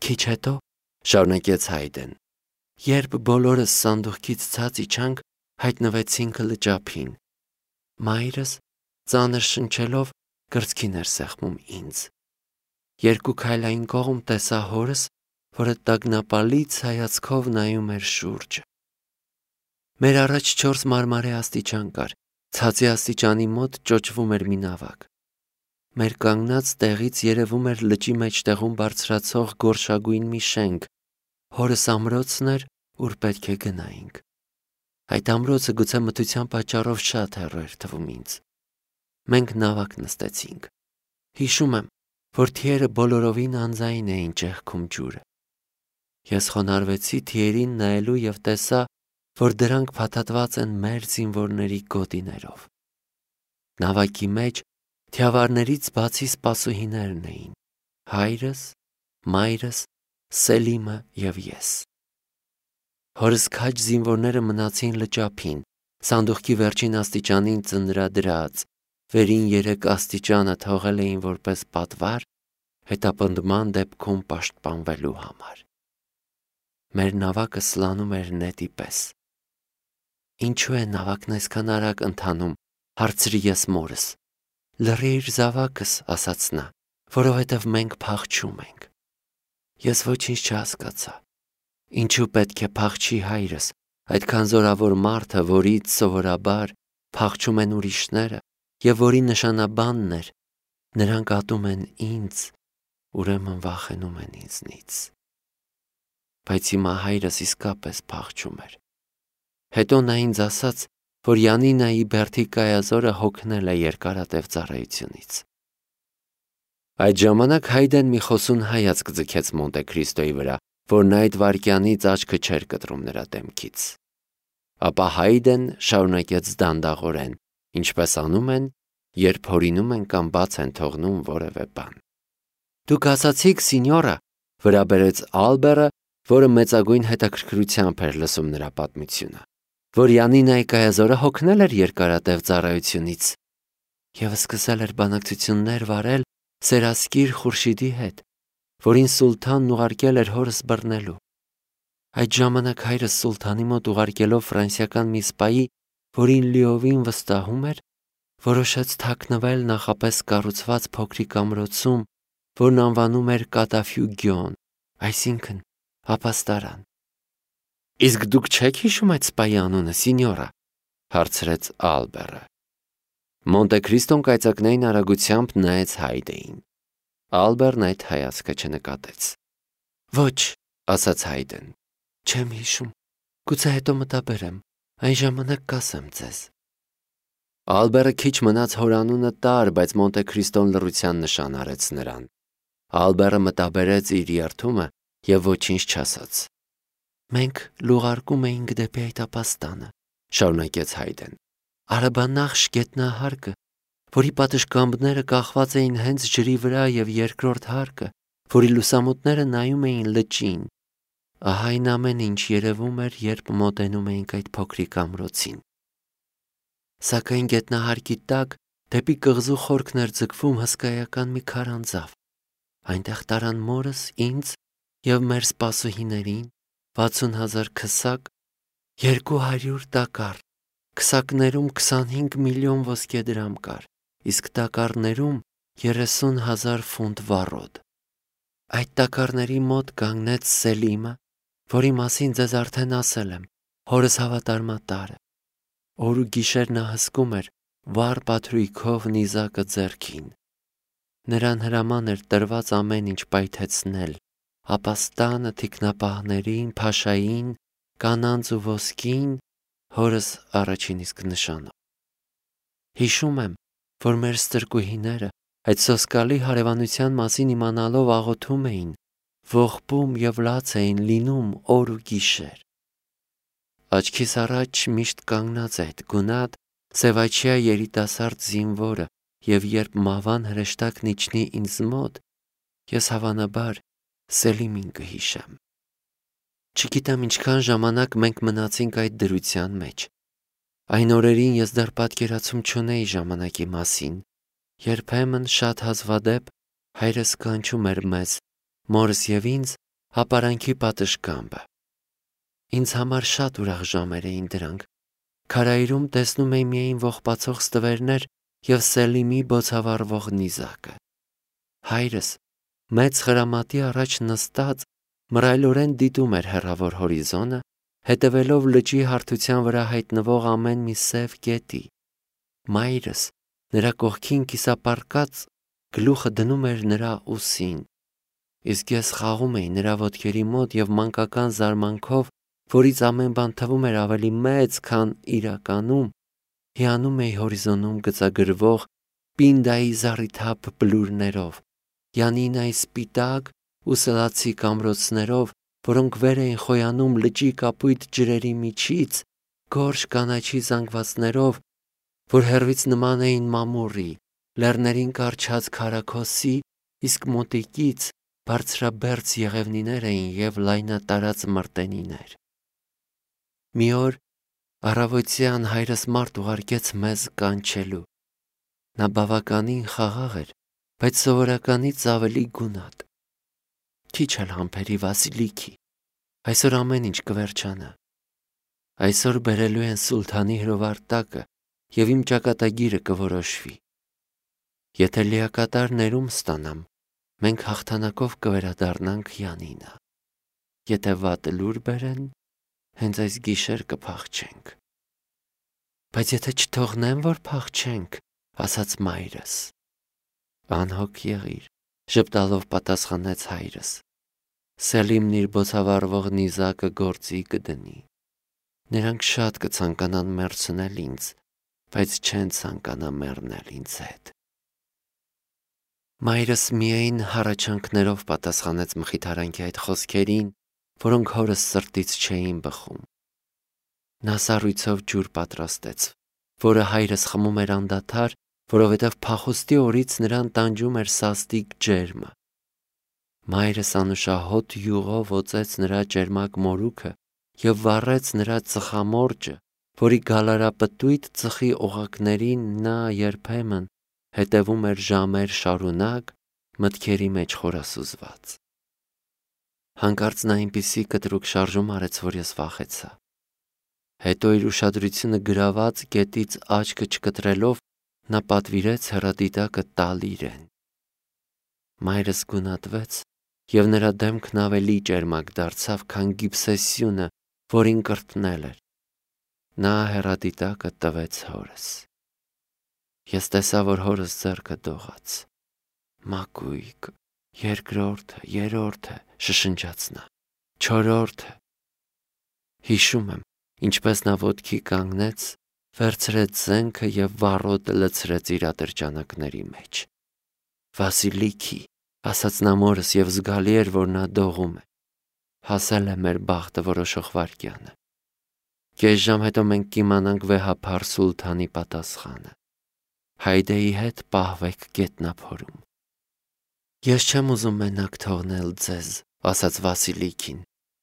Քիչ հետո շարունակեց Հայդեն. երբ բոլորս սանդուղքից ցած իջանք, հայտնվեցինք լճափին։ Մայրս ծանր շնչելով կրծքին էր սեղմում ինձ։ Երկու քայլ այն կողմ տեսա հորս, որը տագնապալից հայացքով նայում էր շուրջը։ Մեր առաջ 4 մարմարե աստիճան կար, ցածի աստիճանի մոտ ճոճվում էր մի նավակ։ Մեր կանգնած տեղից երևում էր լճի մեջտեղում բարձրացող գորշագույն մի շենք, հորս ամրոցն էր, ուր պետք է գնայինք։ Այդ ամրոցը գուցե մթության պատճառով շատ հեռու էր թվում ինձ։ Մենք նավակ նստեցինք։ Հիշում եմ, որ թիերը բոլորովին անձայն էին ճեղքում ջուրը։ Ես խոնարհվեցի թիերին նայելու և տեսա, որ դրանք փաթաթված են մեր զինվորների գոտիներով։ Նավակի մեջ թիավարներից բացի սպասուհիներն էին՝ հայրս, մայրս, Սելիմը և ես։ Հորս քաջ զինվորները մնացին լճափին, սանդուղքի վերջին աստիճանին ծնրադրած, վերին 3 աստիճանը թողել էին որպես պատվար, հետապնդման դեպքում պաշտպանվելու համար։ Մեր նավակը սլանում էր նետի պես։ Ինչու է նավակն այսքան արագ ընթանում, հարցրի ես մորս։ Լռիր զավակս, ասաց նա, որովհետև մենք փախչում ենք։ Ես ոչինչ չհասկացա։ Ինչու պետք է փախչի հայրս, այդքան զորավոր մարդը, որից սովորաբար փախչում են ուրիշները և որի նշանաբանն էր, նրանք ատում են ինձ, ուրեմն վախենում են ինձնից։ Բայց հիմա հայրս իսկապես փախչում էր։ Հետո նա ինձ ասաց, որ Յանինայի բերդի կայազորը հոգնել է երկարատև ծառայությունից։ Այդ ժամանակ Հայդեն մի խոսուն հայացք ձգեց Մոնտե Քրիստոյի վրա, որն այդ վայրկյանից աչքը չէր կտրում նրա դեմքից։ Ապա Հայդեն շարունակեց դանդաղորեն, ինչպես անում են, երբ հորինում են կամ բաց են թողնում որևէ բան։ Դուք ասացիք, սինյորա, վրա բերեց Ալբերը, որը մեծագույն հետաքրքրությամբ էր լսում նրա պատմությունը, որ Յանինայի կայազորը հոգնել էր երկարատև ծառայությունից և սկսել էր բանակցություններ վարել Սերասկիր Խուրշիդի հետ, որին սուլթանն ուղարկել էր հորս բռնելու։ Այդ ժամանակ հայրս սուլթանի մոտ ուղարկելով ֆրանսիական մի սպայի, որին լիովին վստահում էր, որոշեց թաքնվել նախապես կառուցված փոքրիկ ամրոցում, որն անվանում էր Կատաֆյուգիոն, այսինքն ապաստարան։ Իսկ դուք չեք հիշում այդ սպայի անունը, սինյորա, հարցրեց Ալբերը։ Մոնտե Քրիստոն կայծակնային արագությամբ նայեց Հայդեին։ Ալբերն այդ հայացքը չնկատեց։ Ոչ, ասաց Հայդեն, չեմ հիշում, գուցե հետո մտաբերեմ, այն ժամանակ կասեմ ձեզ։ Ալբերը քիչ մնաց հոր անունը տար, բայց Մոնտե Քրիստոն լռության նշան արեց նրան։ Ալբերը մտաբերեց իր երդումը և ոչինչ չասաց։ Մենք լուղարկում էինք դեպի այդ ապաստանը, շարունակեց Հայդեն։ Արաբանախշ գետնահարկը, որի պատշգամբները կախված էին հենց ջրի վրա և երկրորդ հարկը, որի լուսամուտները նայում էին լճին։ Ահա այն ամեն ինչ երևում էր, երբ մոտենում էինք այդ փոքրիկ ամրոցին։ Սակայն գետնահարկի տակ դեպի կղզու խորքն էր ձգվում հսկայական մի քարանձավ։ Այնտեղ տարան մորս, ինձ և մեր սպասուհիներին 60,000 քսակ, 200 տակառ, քսակներում 25 միլիոն ոսկե դրամ կար, իսկ տակառներում 30,000 ֆունտ վառոդ։ Այդ տակառների մոտ կանգնեց Սելիմը, որի մասին ձեզ արդեն ասել եմ, հորս հավատարմատարը։ Օր ու գիշեր նա հսկում էր վառ պատրույքով նիզակը ձեռքին։ Նրան հրաման էր տրված ամեն ինչ պայթեցնել, ապաստանը, թիկնապահներին, փաշային, կանանց ու ոսկին, հորս առաջին իսկ նշանով։ Հիշում եմ, որ մեր ստրկուհիները այդ սոսկալի հարևանության մասին իմանալով աղոթում էին, ողբում և լաց էին լինում օր ու գիշեր։ Աչքիս առաջ միշտ կանգնած այդ գունատ, սևաչյա երիտասարդ զինվորը, և երբ մահվան հրեշտակն իջնի ինձ մոտ, ես հավանաբար Սելիմին կհիշեմ։ Չգիտեմ ինչքան ժամանակ մենք մնացինք այդ դրության մեջ։ Այն օրերին ես դեռ պատկերացում չունեի ժամանակի մասին։ Երբեմն շատ հազվադեպ հայրս կանչում էր մեզ, մորս և ինձ, հապարանքի պատշգամբը։ Ինձ համար շատ ուրախ ժամեր էին դրանք։ Քարայրում տեսնում էի միայն ողբացող ստվերներ և Սելիմի բոցավառվող նիզակը։ Հայրս մեծ խրամատի առաջ նստած մռայլորեն դիտում էր հեռավոր հորիզոնը, հետևելով լճի հարթության վրա հայտնվող ամեն մի սև կետի։ Մայրս նրա կողքին կիսապարկած գլուխը դնում էր նրա ուսին, իսկ ես խաղում էի նրա ոտքերի մոտ և մանկական զարմանքով, որից ամեն բան թվում էր ավելի մեծ, քան իրականում, հիանում էի հորիզոնում գծագրվող Պինդայի զառիթափ բլուրներով, Յանինայի սպիտակ ու սլացիկ ամրոցներով, որոնք վեր էին խոյանում լճի կապույտ ջրերի միջից, գորշ կանաչի զանգվածներով, որ հեռվից նման էին մամուռի, լեռներին կառչած քարաքոսի, իսկ մոտիկից բարձրաբերձ եղևնիներ էին և լայնատարած մրտենիներ։ Մի օր առավոտյան հայրս մարդ ուղարկեց մեզ կանչելու։ Նա բավականին խաղաղ էր, բայց սովորականից ավելի գունատ։ Քիչ էլ համբերի Վասիլիքի, այսօր ամեն ինչ կվերջանա։ Այսօր բերելու են սուլթանի հրովարտակը և իմ ճակատագիրը կորոշվի։ Եթե լիակատար ներում ստանամ, մենք հաղթանակով կվերադառնանք Յանինա։ Եթե վատ լուր բերեն, հենց այս գիշեր կփախչենք։ Բայց եթե չթողնեմ, որ փախչենք, ասաց մայրս։ Անհոգ եղիր, ժպտալով պատասխանեց հայրս։ Սելիմն իր բոցավառվող նիզակը գործի կդնի։ Նրանք շատ կցանկանան մեռցնել ինձ, բայց չեն ցանկանա մեռնել ինձ հետ։ Մայրս միայն հառաչանքներով պատասխանեց մխիթարանքի այդ խոսքերին, որոնք հորս սրտից չէին բխում։ Նա սառույցով ջուր պատրաստեց, որը հայրս խմում էր անդադար, որովհետև փախուստի օրից նրան տանջում էր սաստիկ ջերմը։ Մայրս անուշահոտ յուղով օծեց նրա ճերմակ մորուքը և վառեց նրա ծխամորճը, որի գալարապտույտ ծխի օղակներին նա երբեմն հետևում էր ժամեր շարունակ, մտքերի մեջ խորասուզված։ Հանկարծ նա այնպիսի կտրուկ շարժում արեց, որ ես վախեցա։ Հետո իր ուշադրությունը գրաված կետից աչքը չկտրելով, նա պատվիրեց հեռադիտակը տալ իրեն։ Մայրս գունատվեց, և նրա դեմքն ավելի ճերմակ դարձավ, քան գիբսեսյունը, որին կրտնել էր։ Նա հեռադիտակը տվեց հորս։ Ես տեսա, որ հորս ձեռքը դողաց։ Մակույկ, երկրորդը, երրորդը, շշնջաց նա, չորրորդը։ Հիշում եմ, ինչպես նա ոտքի կանգնեց, վերցրեց զենքը և վառոդը լցրեց իր ատրճանակների մեջ։ Վասիլիքի, ասաց նա մորս և զգալի էր, որ նա դողում է։ Հասել է մեր բախտը որոշող վայրկյանը։ Կես ժամ հետո մենք կիմանանք վեհափառ սուլթանի պատասխանը։ Հայդեի հետ պահվեք գետնափորում։ Ես չեմ ուզում մենակ թողնել ձեզ, ասաց Վասիլիքին։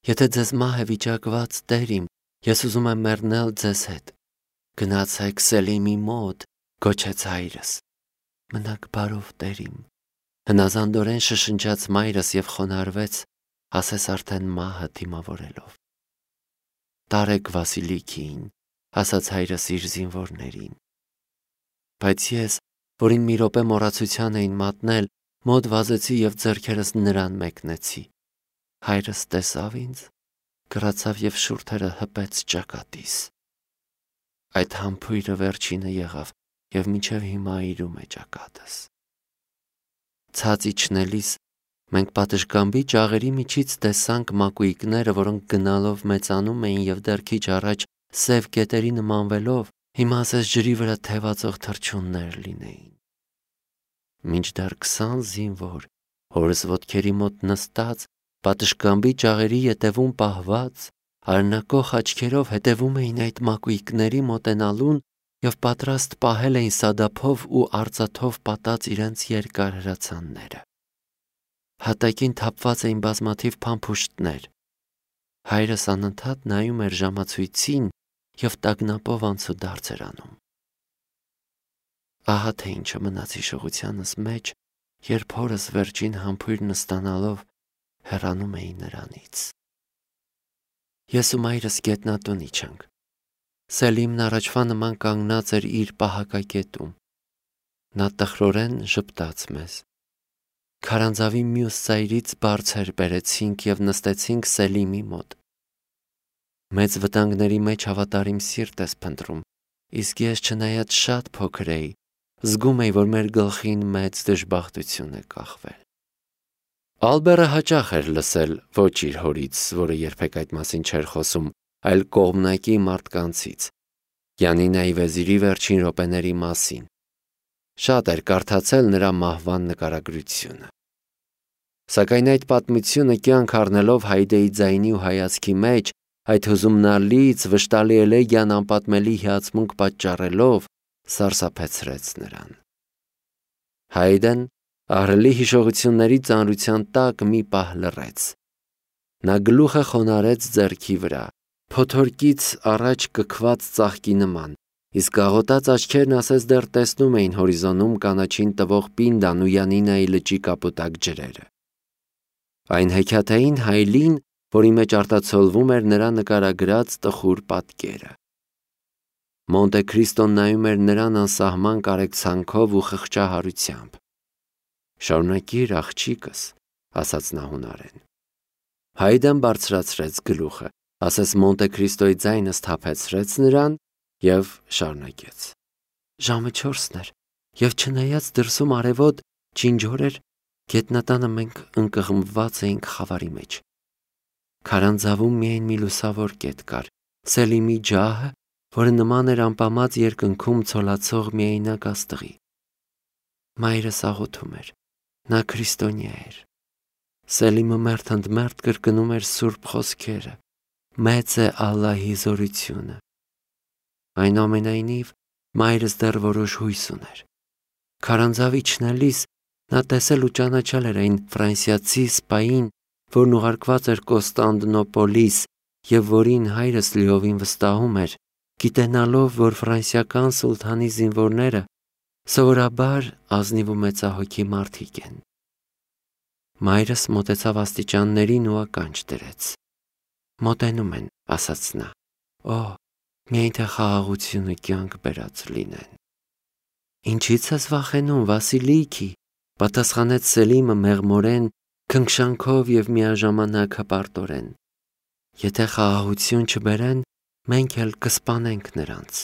Եթե ձեզ մահ է վիճակված, տերիմ, ես ուզում եմ մեռնել ձեզ հետ։ Գնացեք Սելիմի մոտ, գոչեց հայրս։ Մնաք բարով, տերիմ։ Հնազանդորեն շշնջաց մայրս և խոնարհվեց, ասես արդեն մահը դիմավորելով։ Տարեք Վասիլիքին, ասաց հայրս իր զինվորներին։ Բայց ես, որին մի րոպե մոռացության էին մատնել, մոտ վազեցի և ձեռքերս նրան մեկնեցի։ Հայրս տեսավ ինձ, կռացավ և շուրթերը հպեց ճակատիս։ Այդ համբույրը վերջինը եղավ և մինչև հիմա այրում է ճակատս։ Ցած իջնելիս մենք պատշգամբի ճաղերի միջից տեսանք մակույկները, որոնք գնալով մեծանում էին և դեռ քիչ առաջ սև կետերի նմանվելով, հիմա ասես ջրի վրա թևածող թռչուններ լինեին։ Մինչդեռ 20 զինվոր, հորս ոտքերի մոտ նստած, պատշգամբի ճաղերի ետևում պահված, արնակող աչքերով հետևում էին այդ մակույկների մոտենալուն և պատրաստ պահել էին սադափով ու արծաթով պատած իրենց երկար հրացանները։ Հատակին թափված էին բազմաթիվ փամփուշտներ։ Հայրս անընդհատ նայում էր ժամացույցին և տագնապով անցուդարձ էր անում։ Ահա թե ինչը մնաց հիշողությանս մեջ, երբ հորս վերջին համբույրն ստանալով հեռանում էին նրանից։ Ես ու մայրս գետնատուն իջանք։ Սելիմն առաջվա նման կանգնած էր իր պահակակետում։ Նա տխրորեն ժպտաց մեզ։ Քարանձավի մյուս ծայրից բարձր բերեցինք և նստեցինք Սելիմի մոտ։ Մեծ վտանգների մեջ հավատարիմ սիրտ ես փնտրում, իսկ ես չնայած շատ փոքր էի, զգում էի, որ մեր գլխին մեծ դժբախտություն է կախվել։ Ալբերը հաճախ էր լսել ոչ իր հորից, որը երբեք այդ մասին չէր խոսում, այլ կողմնակի մարդկանցից, Յանինայի վեզիրի վերջին րոպեների մասին։ Շատ էր կարդացել նրա մահվան նկարագրությունը։ Սակայն այդ պատմությունը կյանք առնելով Հայդեի ձայնի ու հայացքի մեջ, այդ հուզումնալից վշտալի էլեգիան անպատմելի հիացմունք պատճառելով, սարսափեցրեց նրան։ Հայդեն ահռելի հիշողությունների ծանրության տակ մի պահ լռեց։ Նա գլուխը խոնարհեց ձեռքի վրա, փոթորկից առաջ կքված ծաղկի նման, իսկ աղոտած աչքերն ասես դեռ տեսնում էին հորիզոնում կանաչին տվող Պինդան ու Յանինայի լճի կապուտակ ջրերը։ Այն հեքիաթային հայլին, որի մեջ արտացոլվում էր նրա նկարագրած տխուր պատկերը։ Մոնտե Քրիստոն նայում էր նրան անսահման կարեկցանքով ու խղճահարությամբ։ «Շարունակիր, աղջիկս», ասաց նա հունարեն։ Հայդեն բարձրացրեց գլուխը, ասես Մոնտե Քրիստոյի ձայնը սթափեցրեց նրան և շարունակեց. «Ժամը 4-ն էր, և չնայած դրսում արևոտ ջինջոր էր, գետնատանը մենք ընկղմված էինք խավարի մեջ։ Քարանձավում միայն մի լուսավոր կետ կար, Սելիմի ջահը, որը նման էր անպամած երկնքում ցոլացող միայնակ աստղի։ Մայրս աղոթում էր, նա քրիստոնյա էր։ Սելիմը մերթ ընդ մերթ կրկնում էր սուրբ խոսքերը. «Մեծ է Ալլահի զորությունը»։ Այնուամենայնիվ, մայրս դեռ որոշ հույս ուներ։ Քարանձավ իջնելիս նա տեսել ու ճանաչել էր այն ֆրանսիացի սպային, որն ուղարկված էր Կոստանդնոպոլիս և որին հայրս լիովին վստահում էր, գիտենալով, որ ֆրանսիական սուլթանի զինվորները սովորաբար ազնիվ ու մեծահոգի մարդիկ են։ Մայրս մոտեցավ աստիճաններին ու ականջ դրեց։ «Մոտենում են», ասաց նա։ «Օ, միայն թե խաղաղությունը կյանք բերած լինեն»։ «Ինչի՞ց ես վախենում, Վասիլիքի», պատասխանեց Սելիմը մեղմորեն, քնքշանքով և միաժամանակ հպարտորեն։ «Եթե խաղաղություն չբերեն, մենք էլ կսպանենք նրանց»։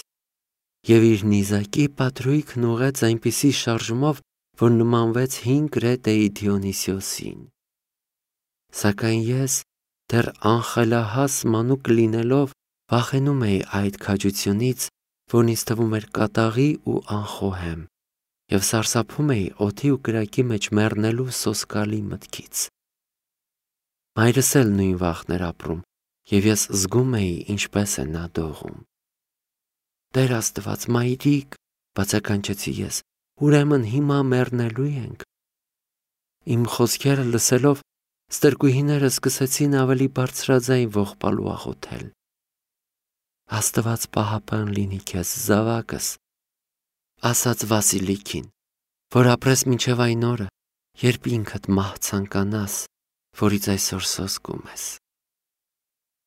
Եվ իր նիզակի պատրույգն ուղղեց այնպիսի շարժումով, որ նմանվեց հին Կրետեի Դիոնիսիոսին։ Սակայն ես, դեռ անխելահաս մանուկ լինելով, վախենում էի այդ քաջությունից, որն ինձ թվում էր կատաղի ու անխոհեմ, և սարսափում էի օդի ու կրակի մեջ մեռնելու սոսկալի մտքից։ Մայրս էլ նույն վախն էր ապրում, և ես զգում էի, ինչպես է նա դողում։ «Տեր Աստված, մայրիկ», բացականչեցի ես, «ուրեմն հիմա մեռնելու ենք»։ Իմ խոսքերը լսելով, ստրկուհիները սկսեցին ավելի բարձրաձայն ողբալ ու աղոթել։ «Աստված պահապան լինի քեզ, զավակս», ասաց Վասիլիքին, «որ ապրես մինչև այն օրը, երբ ինքդ մահ ցանկանաս, որից այսօր սոսկում ես»։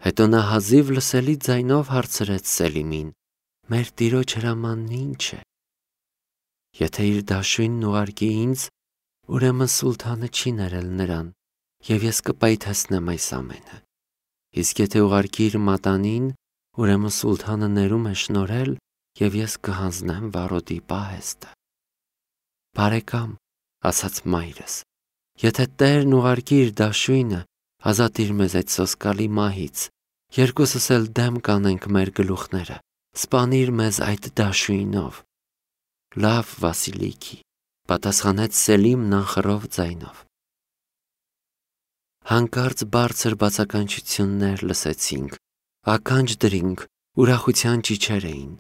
Հետո նա հազիվ լսելի ձայնով հարցրեց Սելիմին. «Մեր տիրոջ հրամանն ի՞նչ է»։ «Եթե իր դաշույնն ուղարկի ինձ, ուրեմն սուլթանը չի ներել նրան, և ես կպայթեցնեմ այս ամենը, իսկ եթե ուղարկի իր մատանին, ուրեմն սուլթանը ներում է շնորհել, և ես կհանձնեմ վարոդի պահեստը»։ «Բարեկամ», ասաց մայրս, «եթե Տերն ուղարկի իր դաշույնը, ազատիր մեզ այդ սոսկալի մահից, երկուսս էլ դեմ կանենք մեր գլուխները, սպանիր մեզ այդ դաշույնով»։ «Լավ, Վասիլիքի», պատասխանեց Սելիմն անխռով ձայնով։ Հանկարծ բարձր բացականչություններ լսեցինք, ականջ դրինք, ուրախության ճիչեր էին։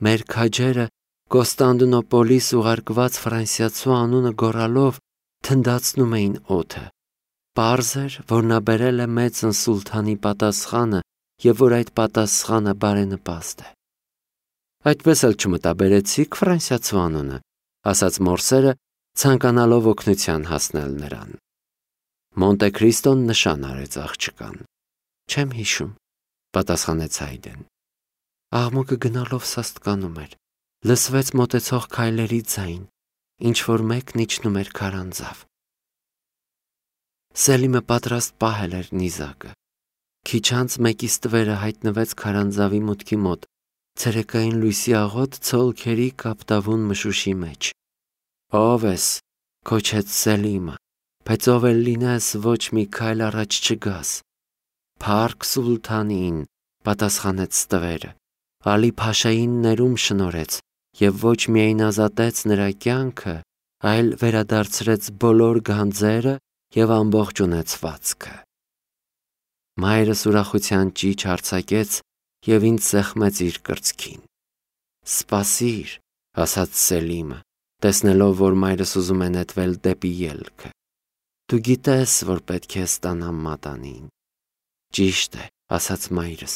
Մեր քաջերը Կոստանդնոպոլիս ուղարկված ֆրանսիացու անունը գոռալով թնդացնում էին օդը։ Պարզ էր, որ նա բերել է մեծն սուլթանի պատասխանը և որ այդ պատասխանը բարենպաստ է։ «Այդպես էլ չմտաբերեցիք ֆրանսիացու անունը», ասաց մորսերը, ցանկանալով օգնության հասնել նրան։ Մոնտե Քրիստոն նշան արեց աղջկան։ Չեմ հիշում, պատասխանեց Հայդեն։ Աղմուկը գնալով սաստկանում էր։ Լսվեց մոտեցող քայլերի ձայն, ինչ որ մեկն իջնում էր քարանձավ։ Սելիմը պատրաստ պահել էր նիզակը։ Քիչ անց մեկի ստվերը հայտնվեց քարանձավի մուտքի մոտ, ցերեկային լույսի աղոտ ցոլքերի կապտավուն մշուշի մեջ։ Ո՞վ ես, քոչեց Սելիմը, բայց ով էլ լինես, ոչ մի քայլ առաջ չգաս։ Փարք Սուլթանին, պատասխանեց ստվերը, Ալի Փաշային ներում շնորհեց և ոչ միայն ազատեց նրա կյանքը, այլ վերադարձրեց բոլոր գանձերը և ամբողջ ունեցվածքը։ Մայրս ուրախության ճիչ արձակեց և ինձ սեղմեց իր կրծքին։ Սպասիր, ասաց Սելիմը, տեսնելով, որ մայրս ուզում է նետվել դեպի ելքը։ Դու գիտես, որ պետք է ստանամ մատանին։ Ճիշտ է, ասաց մայրս։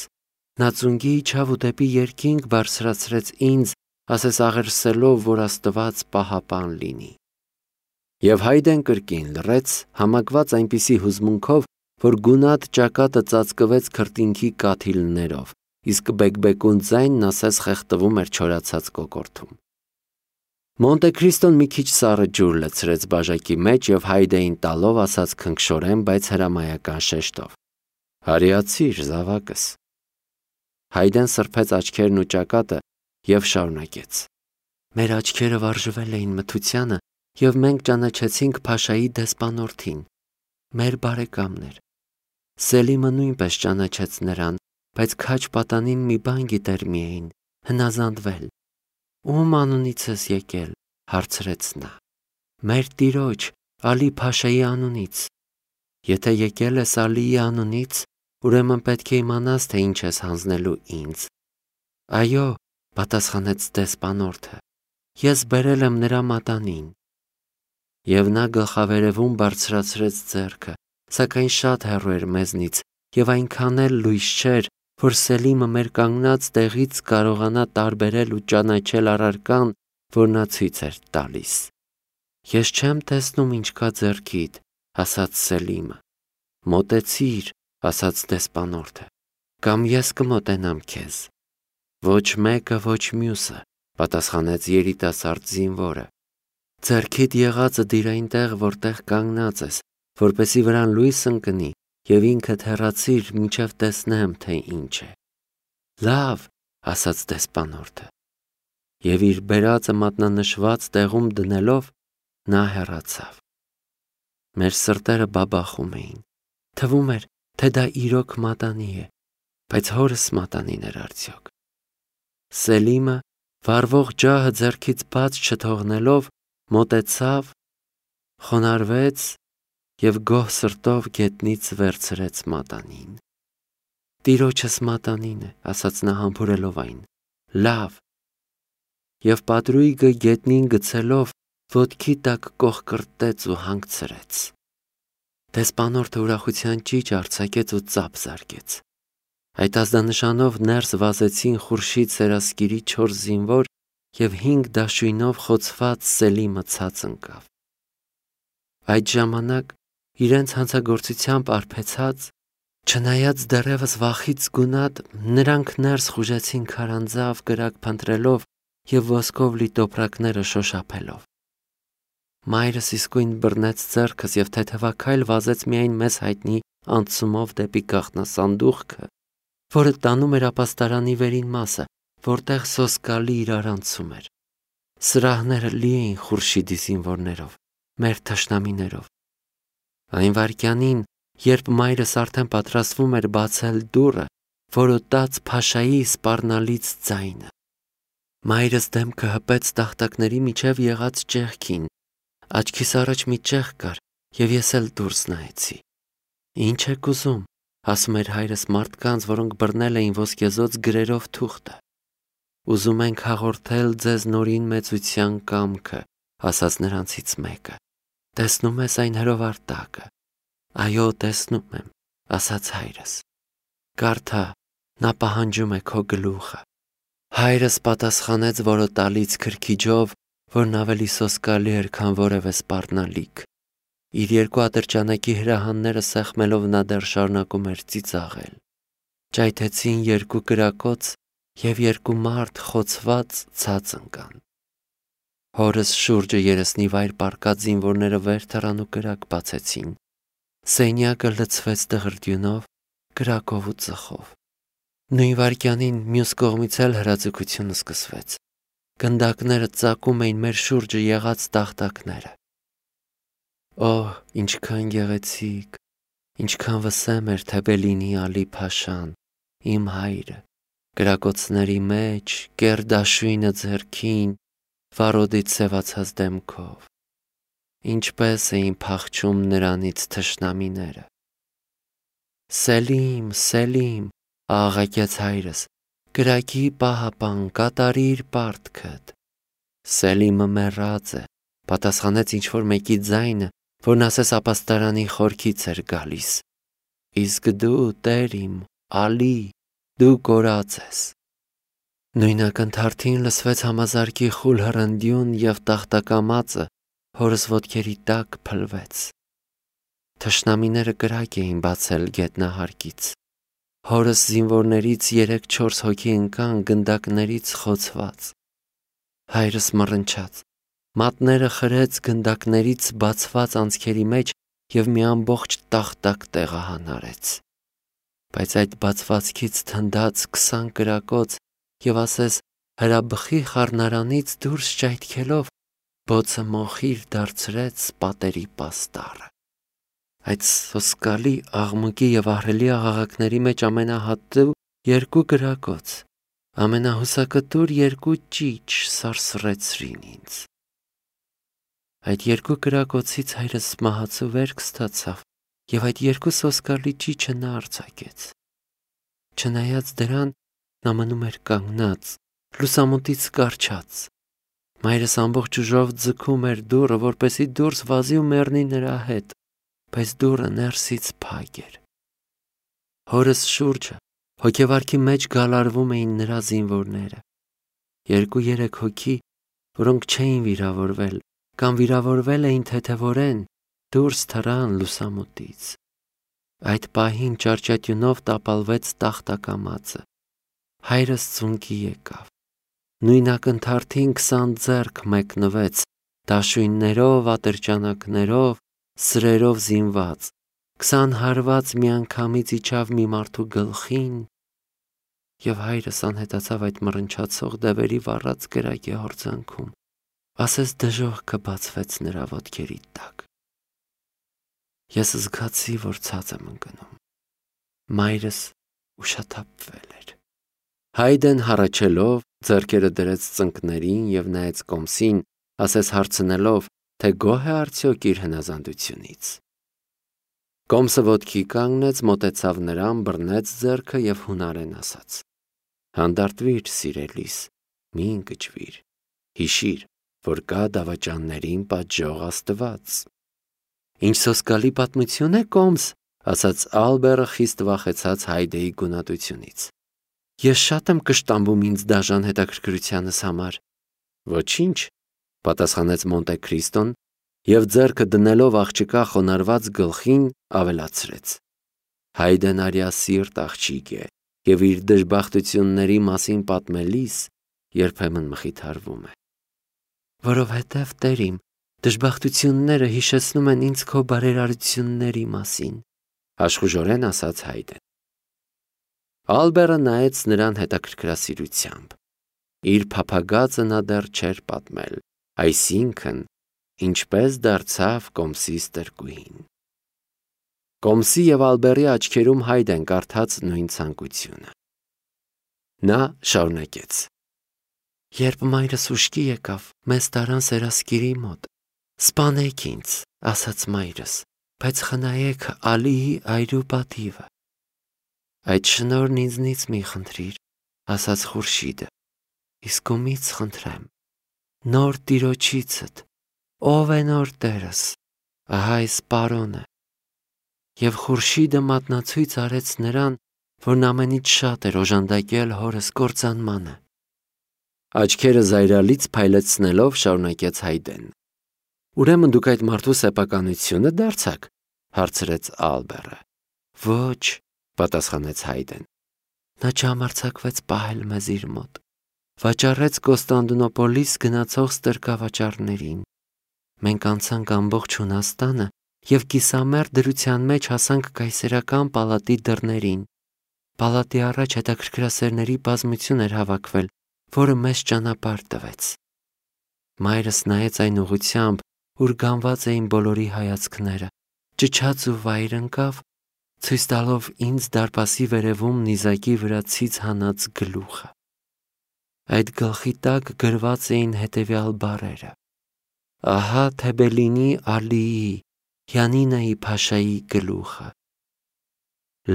Նա ծունկի իջավ ու դեպի երկինք բարձրացրեց ինձ, ասես աղերսելով, որ Աստված պահապան լինի։ Եվ Հայդեն կրկին լռեց, համակված այնպիսի հուզմունքով, որ գունատ ճակատը ծածկվեց քրտինքի կաթիլներով, իսկ բեկբեկուն ձայնն ասես խեղդվում էր չորացած կոկորդում։ Մոնտե Քրիստոն մի քիչ սառը ջուր լցրեց բաժակի մեջ և Հայդեին տալով ասաց քնքշորեն, բայց հրամայական շեշտով. Հարիացիր, զավակս։ Հայդեն սրբեց աչքերն ու ճակատը և շարունակեց. Մեր աչքերը վարժվել էին մթությանը, և մենք ճանաչեցինք Փաշայի դեսպանորդին, մեր բարեկամն էր։ Սելիմը նույնպես ճանաչեց նրան, բայց քաջ պատանին մի բան գիտեր միայն, հնազանդվել։ Ում անունից ես եկել, հարցրեց նա։ Մեր տիրոջ, Ալի Փաշայի անունից։ Եթե եկել ես Ալիի անունից, ուրեմն պետք է իմանաս, թե ինչ ես հանձնելու ինձ։ Այո, պատասխանեց դեսպանորդը, ես բերել եմ նրա մատանին։ Եվ նա գլխավերևում բարձրացրեց ձեռքը, սակայն շատ հեռու էր մեզնից, և այնքան էլ լույս չէր, որ Սելիմը մեր կանգնած տեղից կարողանա տարբերել ու ճանաչել առարկան, որ նա ցույց էր տալիս։ Ես չեմ տեսնում ինչ կա ձեռքիդ, ասաց Սելիմը։ Մոտեցիր, ասաց դեսպանորդը, կամ ես կմոտենամ քեզ։ Ոչ մեկը, ոչ մյուսը, պատասխանեց երիտասարդ զինվորը։ Ձեռքիդ եղածը դիր այնտեղ, որտեղ կանգնած ես, որպեսզի վրան լույս ընկնի, և ինքդ հեռացիր, մինչև տեսնեմ, թե ինչ է։ Լավ, ասաց դեսպանորդը։ Եվ իր բերածը մատնանշված տեղում դնելով, նա հեռացավ։ Մեր սրտերը բաբախում էին։ Թվում էր, թե դա իրոք մատանի է, բայց հորս մատանին էր արդյոք։ Սելիմը, վառվող ջահը ձեռքից բաց չթողնելով, մոտեցավ, խոնարհվեց և գոհ սրտով գետնից վերցրեց մատանին։ Տիրոջս մատանին է, ասաց նա համբուրելով այն։ Լավ։ Եվ պատրույգը գետնին գցելով, ոտքի տակ կողկրտեց ու հանգցրեց։ Դեսպանորդը ուրախության ճիչ արձակեց ու ծափ զարկեց։ Այդ ազդանշանով ներս վազեցին Խուրշիդ Սերասկիրի 4 զինվոր և 5 դաշույնով խոցված Սելիմը ցած ընկավ։ Այդ ժամանակ իրենց հանցագործությամբ արբեցած, չնայած դեռևս վախից գունատ, նրանք ներս խուժեցին քարանձավ կրակ փնտրելով և ոսկով լի տոպրակները շոշափելով։ Մայրս իսկույն բռնեց ձեռքս և թեթևաքայլ վազեց միայն մեզ հայտնի անցումով դեպի գաղտնասանդուղքը, որը տանում էր ապաստարանի վերին մասը, որտեղ սոսկալի իրարանցում էր։ Սրահները լի էին Խուրշիդի զինվորներով, մեր թշնամիներով։ Այն վայրկյանին, երբ մայրս արդեն պատրաստվում էր բացել դուռը, որոտաց Փաշայի սպառնալից ձայնը։ Մայրս դեմքը հպեց տախտակների միջև եղած ճեղքին, աչքիս առաջ մի ճեղք կար, և ես էլ դուրս նայեցի։ Ինչ եք ուզում, ասում էր հայրս մարդկանց, որոնք բռնել էին ոսկեզօծ գրերով թուղթը։ Ուզում ենք հաղորդել ձեզ նորին մեծության կամքը, ասաց նրանցից մեկը։ Տեսնում ես այն հրովարտակը։ Այո, տեսնում եմ, ասաց հայրս։ Կարդա, նա պահանջում է քո գլուխը։ Հայրս պատասխանեց որոտալից քրքիջով, որն ավելի սոսկալի էր, քան որևէ սպառնալիք։ Իր երկու ատրճանակի հրահանները սեղմելով նա դեռ շարունակում էր ծիծաղել։ Ճայթեցին երկու կրակոց և երկու մարդ խոցված ցած ընկան։ Հորս շուրջը երեսնի վայր պառկած զինվորները վեր թռան ու կրակ բացեցին։ Սենյակը լցվեց դղրդյունով, կրակով ու ծխով։ Նույն վայրկյանին մյուս կողմից էլ հրաձգությունը սկսվեց։ Գնդակները ծակում էին մեր շուրջը եղած տախտակները։ Օհ, ինչքան գեղեցիկ, ինչքան վսեմ էր Թեբելինի Ալի Փաշան, իմ հայրը, կրակոցների մեջ, կեռ դաշույնը ձեռքին, վարոդից սևացած դեմքով։ Ինչպես էին փախչում նրանից թշնամիները։ Սելիմ, Սելիմ, աղաղակեց հայրս, կրակի պահապան, կատարիր պարտքդ։ Սելիմը մեռած է, պատասխանեց ինչ-որ մեկի ձայնը, որն ասես ապաստարանի խորքից էր գալիս։ Իսկ դու, տեր իմ, Ալի, դու կորած ես։ Նույն ակնթարթին լսվեց համազարկի խուլ հռնդյուն և տախտակամածը հորս ոտքերի տակ փլվեց։ Թշնամիները կրակ էին բացել գետնահարկից։ Հորս զինվորներից 3-4 հոգի ընկան գնդակներից խոցված։ Հայրս մռնչաց, մատները խրեց գնդակներից բացված անցքերի մեջ և մի ամբողջ տախտակ տեղահանարեց։ Բայց այդ բացվածքից թնդաց 20 կրակոց և ասես հրաբխի խառնարանից դուրս ճայթքելով բոցը մոխիր դարձրեց պատերի պաստառը։ Այդ սոսկալի աղմուկի և ահռելի աղաղակների մեջ ամենահատու 2 կրակոց, ամենահուսակտուր 2 ճիչ սարսռեցրին ինձ։ Այդ 2 կրակոցից հայրս մահացու վերք ստացավ և այդ 2 սոսկալի ճիչը նա արձակեց։ Չնայած դրան, նա մնում էր կանգնած, լուսամուտից կառչած։ Մայրս ամբողջ ուժով ձգում էր դուռը, որպեսզի դուրս վազի ու մեռնի նրա հետ, բայց դուռը ներսից փակ էր։ Հորս շուրջը հոգեվարքի մեջ գալարվում էին նրա զինվորները։ 2-3 հոգի, որոնք չէին վիրավորվել կամ վիրավորվել էին թեթևորեն, դուրս թռան լուսամուտից։ Այդ պահին ճարճատյունով տապալվեց տախտակամածը։ Հայրս ծունկի եկավ։ Նույն ակնթարթին 20 ձեռք մեկնվեց, դաշույններով, ատրճանակներով, սրերով զինված, 20 հարված միանգամից իջավ մի մարդու գլխին, և հայրս անհետացավ այդ մռնչացող դևերի վառած կրակի հորձանքում, ասես դժոխքը բացվեց նրա ոտքերի տակ։ Ես զգացի, որ ցած եմ ընկնում։ Մայրս ուշաթափվել էր։ Հայդեն հառաչելով ձեռքերը դրեց ծնկներին և նայեց կոմսին, ասես հարցնելով, թե գոհ է արդյոք իր հնազանդությունից։ Կոմսը ոտքի կանգնեց, մոտեցավ նրան, բռնեց ձեռքը և հունարեն ասաց. Հանդարտվիր, սիրելիս, մի ընկճվիր, հիշիր, որ կա դավաճաններին պատժող Աստված։ Ինչ սոսկալի պատմություն է, Կոմս, ասաց Ալբերը խիստ վախեցած Հայդեի գունատությունից։ Ես շատ եմ կշտամբում ինձ դաժան հետաքրքրությանս համար։ Ոչինչ, պատասխանեց Մոնտե Քրիստոն և ձեռքը դնելով աղջկա խոնարհված գլխին ավելացրեց. Հայդեն արիասիրտ աղջիկ է և իր դժբախտությունների մասին պատմելիս երբեմն մխիթարվում է։ Որովհետև, տեր իմ, դժբախտությունները հիշեցնում են ինձ քո բարերարությունների մասին, աշխուժորեն ասաց Հայդեն։ Ալբերը նայեց նրան հետաքրքրասիրությամբ։ Իր փափագածը նա դեռ չէր պատմել, այսինքն, ինչպես դարձավ Կոմսի ստրկուհին։ Կոմսի և Ալբերի աչքերում Հայդեն կարդաց նույն ցանկությունը։ Նա շարունակեց. Երբ մայրս ուշքի եկավ, մեզ տարան սերասկիրի մոտ։ Սպանեք ինձ, ասաց մայրս, բայց խնայեք Ալիի այրու պատիվը։ Այդ շնորհն ինձնից մի խնդրիր, ասաց Խուրշիդը, իսկ ումից խնդրեմ, նոր տիրոջիցդ, ով է նոր տերս, ահա այս պարոնը։ Եվ Խուրշիդը մատնացույց արեց նրան, որն ամենից շատ էր օժանդակել հորս կործանմանը։ Աչքերը զայրալից փայլեցնելով շարունակեց Հայդեն։ Ուրեմն դուք այդ մարդու սեփականությունը դարձաք, հարցրեց Ալբերը։ Ոչ, պատասխանեց Հայդեն։ Նա չհամարձակվեց պահել մեզ իր մոտ։ Վաճառեց Կոստանդնուպոլիս գնացող ստրկավաճառներին։ Մենք անցանք ամբողջ Հունաստանը և կիսամերձ դրության մեջ հասանք կայսերական պալատի դռներին։ Պալատի առաջ հետաքրքրասերների բազմություն էր հավաքվել, որը մեզ ճանապարհ տվեց։ Մայրս նայեց այն ուղղությամբ, ուր գանված էին բոլորի հայացքները, ճչաց ու վայր ընկավ, ցույց տալով ինձ դարպասի վերևում նիզակի վրա ցից հանած գլուխը։ Այդ գլխի տակ գրված էին հետևյալ բառերը. Ահա Թեբելինի Ալիի, Յանինայի Փաշայի գլուխը։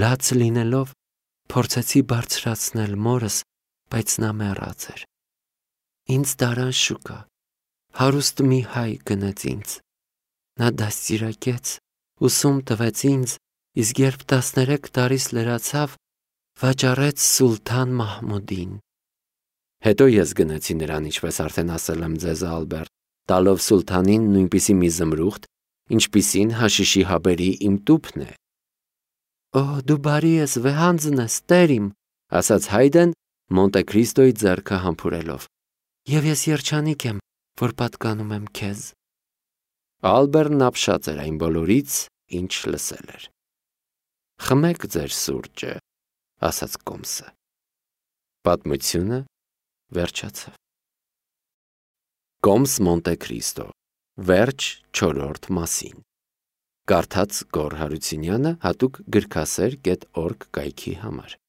Լաց լինելով, փորձեցի բարձրացնել մորս, բայց նա մեռած էր։ Ինձ տարան շուկա, հարուստ մի հայ գնեց ինձ։ Նա դաստիարակեց, ուսում տվեց ինձ, իսկ երբ 13 տարիս լրացավ, վաճառեց Սուլթան Մահմուդին։ Հետո ես գնացի նրան, ինչպես արդեն ասել եմ ձեզ, Ալբերտ, տալով Սուլթանին նույնպիսի մի զմրուխտ, ինչպիսին հաշիշի հաբերի իմ տուփն է։ Օ, դու բարի ես, վեհանձն ես, տեր իմ, ասաց Հայդեն, Մոնտե Քրիստոյի ձեռքը համբուրելով։ Եվ ես երջանիկ եմ, որ պատկանում եմ քեզ։ Ալբերն ապշած էր այն բոլորից, ինչ լսել էր։ Խմեք ձեր սուրճը, ասաց Կոմսը։ Պատմությունը վերջացավ։ Կոմս Մոնտե Քրիստո, վերջ 4-րդ մասին։ Կարդաց Գոռ Հարությունյանը հատուկ գրքասեր.org կայքի համար։